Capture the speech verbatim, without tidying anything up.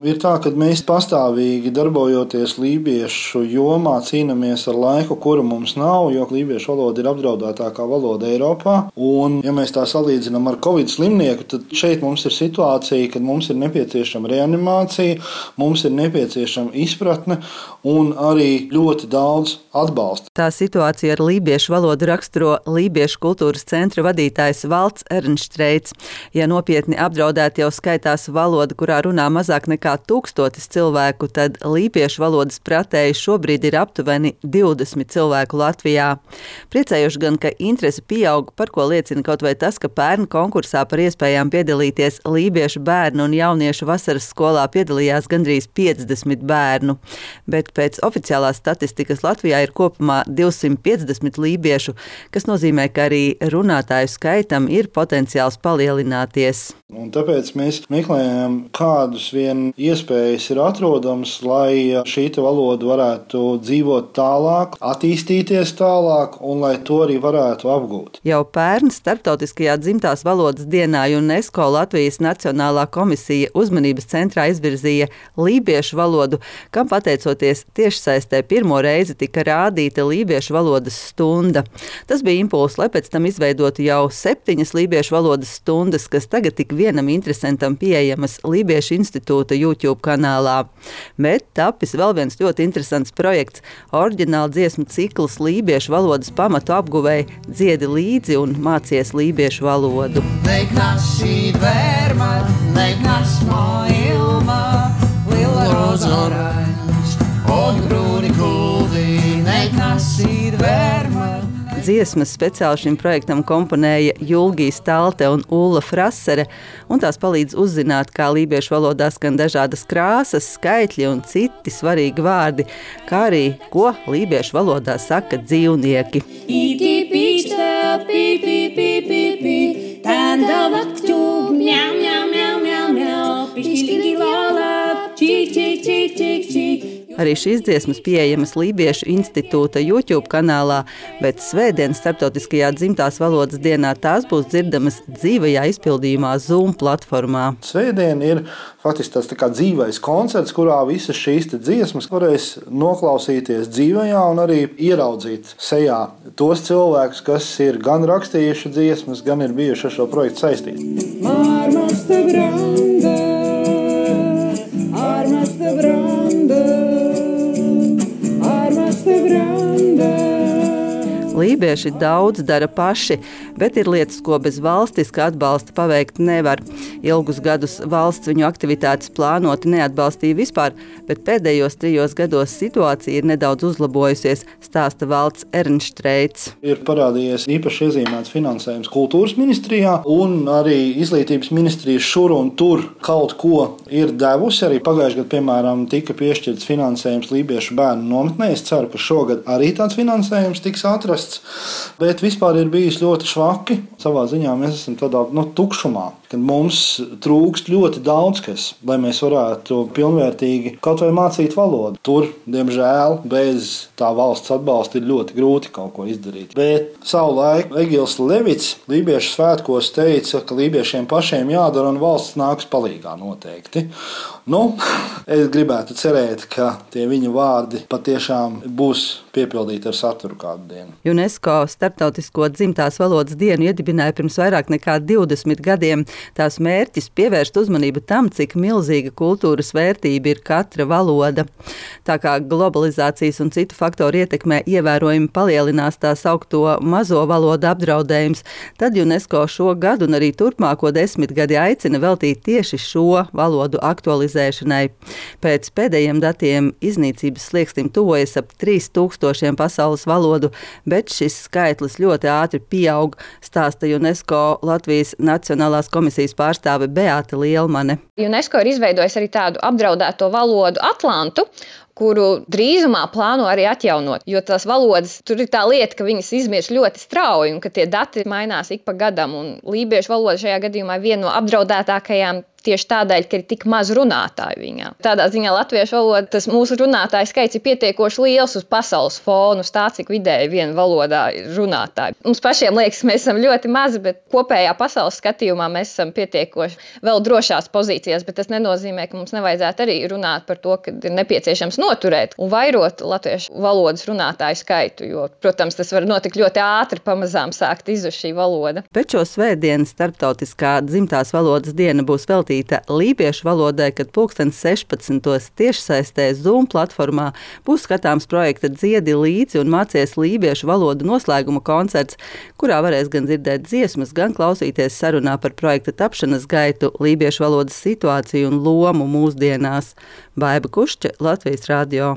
Ir tā, ka mēs pastāvīgi darbojoties lībiešu jomā cīnāmies ar laiku, kuru mums nav, jo lībiešu valoda ir apdraudētākā valoda Eiropā. Un, ja mēs tā salīdzinām ar Covid slimnieku, tad šeit mums ir situācija, kad mums ir nepieciešama reanimācija, mums ir nepieciešama izpratne un arī ļoti daudz atbalsta. Tā situācija ar lībiešu valodu raksturo Lībiešu kultūras centra vadītājs Valds Ernštreits. Ja nopietni apdraudēti jau skaitās valoda, kurā runā mazāk nekā tūkstotis cilvēku, tad lībiešu valodas pratēji šobrīd ir aptuveni divdesmit cilvēku Latvijā. Priecējuši gan, ka interese pieaug, par ko liecina kaut vai tas, ka pērn konkursā par iespējām piedalīties lībiešu bērnu un jauniešu vasaras skolā piedalījās gandrīz piecdesmit bērnu. Bet pēc oficiālās statistikas Latvijā ir kopumā divsimt piecdesmit lībiešu, kas nozīmē, ka arī runātāju skaitam ir potenciāls palielināties. Un tāpēc mēs meklējam, kādus vien iespējas ir atrodamas, lai šī valoda varētu dzīvot tālāk, attīstīties tālāk un lai to arī varētu apgūt. Jau pērn starptautiskajā dzimtās valodas dienā UNESCO Latvijas Nacionālā komisija uzmanības centrā izvirzīja lībiešu valodu, kam pateicoties tiešsaistē pirmo reizi tika rādīta lībiešu valodas stunda. Tas bija impulss, lai pēc tam izveidotu jau septiņas lībiešu valodas stundas, kas tagad tik vienam interesantam pieejamas Lībiešu institūta YouTube kanālā. Bet tapis vēl viens ļoti interesants projekts – oriģināla dziesmu cikls lībiešu valodas pamatu apguvēji dziedi līdzi un mācies lībiešu valodu. Neik nasī vērma, neik nasmo ilma, lila rozoraiņš, oļu grūni kuldī, neik nasī vērma. Dziesmas speciāli šim projektam komponēja Julgija Stalte un Ulla Frasere, un tās palīdz uzzināt, kā lībiešu valodā skan dažādas krāsas, skaitļi un citi svarīgi vārdi, kā arī, ko lībiešu valodā saka dzīvnieki. Iti pīksta, pī, pī, pī, pī, pī, tanda vaktu, mjau, mjau, mjau, mjau, mjau, pišķīgi lala, čik, čik, čik, čik, čik. Arī šīs dziesmas pieejamas Lībiešu institūta YouTube kanālā, bet svētdien starptautiskajā dzimtās valodas dienā tās būs dzirdamas dzīvajā izpildījumā Zoom platformā. Svētdien ir faktiski tas tā kā dzīvais koncerts, kurā visas šīs dziesmas varēs noklausīties dzīvajā un arī ieraudzīt sejā tos cilvēkus, kas ir gan rakstījuši dziesmas, gan ir bijuši ar šo projektu saistīti. Armas te grande, armas te grande. Lībieši daudz dara paši, bet ir lietas, ko bez valstiska atbalsta paveikt nevar. Ilgus gadus valsts viņu aktivitātes plānoti neatbalstīja vispār, bet pēdējos trijos gados situācija ir nedaudz uzlabojusies, stāsta Valds Ernštreits. Ir parādījies īpaši iezīmēts finansējums kultūras ministrijā, un arī izglītības ministrija šur un tur kaut ko ir devusi. Arī pagājušajā gadā, piemēram, tika piešķirts finansējums lībiešu bērnu nometnē. Es ceru, ka šogad arī tāds finansējums tiks atrasts. Bet vispār ir bijis ļoti švaki. Savā ziņā mēs esam tādā no, tukšumā, kad mums trūkst ļoti daudz kas, lai mēs varētu pilnvērtīgi kaut vai mācīt valodu. Tur, diemžēl, bez tā valsts atbalsta ir ļoti grūti kaut ko izdarīt. Bet savulaik Egils Levits lībiešu svētkos teica, ka lībiešiem pašiem jādara un valsts nāks palīgā noteikti. Nu, es gribētu cerēt, ka tie viņa vārdi patiešām būs piepildīti ar saturu kādu dienu. UNESCO starptautisko dzimtās valodas dienu iedibināja pirms vairāk nekā divdesmit gadiem. Tās mērķis pievērst uzmanību tam, cik milzīga kultūras vērtība ir katra valoda. Tā kā globalizācijas un citu faktoru ietekmē ievērojami palielinās tā saukto mazo valodu apdraudējums, tad UNESCO šo gadu un arī turpmāko desmitgadi aicina veltīt tieši šo valodu aktualizēšanai. Pēc pēdējiem datiem iznīcības slieksnim tuvojas ap trīs tūkstošiem pasaules valodu, bet šis skaitlis ļoti ātri pieaug, stāsta UNESCO Latvijas Nacionālās komisijas pārstāve Beāta Lielmane. UNESCO ir izveidojis arī tādu apdraudēto valodu Atlantu, kuru drīzumā plāno arī atjaunot, jo tās valodas, tur ir tā lieta, ka viņas izmirst ļoti strauji un ka tie dati mainās ik pa gadam, un lībiešu valoda šajā gadījumā ir viena no apdraudētākajām tieši tādēļ, ka ir tik maz runātāju viņā. Tādā ziņā latviešu valoda, tas mūsu runātāju skaits ir pietiekoši liels uz pasaules fonu, uz tā, cik vidēji viena valodā ir runātāji. Mums pašiem liekas, ka mēs esam ļoti mazi, bet kopējā pasaules skatījumā mēs esam pietiekoši vēl drošās pozīcijās, bet tas nenozīmē, ka mums nevajadzētu arī runāt par to, ka ir nepieciešams noturēt un vairot latviešu valodas runātāju skaitu, jo, protams, tas var notikt ļoti ātri, pamazām sākt izzust šī valoda. Pēc šo svētdienu starptautiskā dzimtās valodas diena būs veltīta lībiešu valodai, kad pulkstens sešpadsmitos tiešsaistē Zoom platformā būs skatāms projekta Dziedi līdzi un mācies lībiešu valodu noslēguma koncerts, kurā varēs gan dzirdēt dziesmas, gan klausīties sarunā par projekta tapšanas gaitu, lībiešu valodas situāciju un lomu mūsdienās. Baiba Kušķe, Latvijas radio.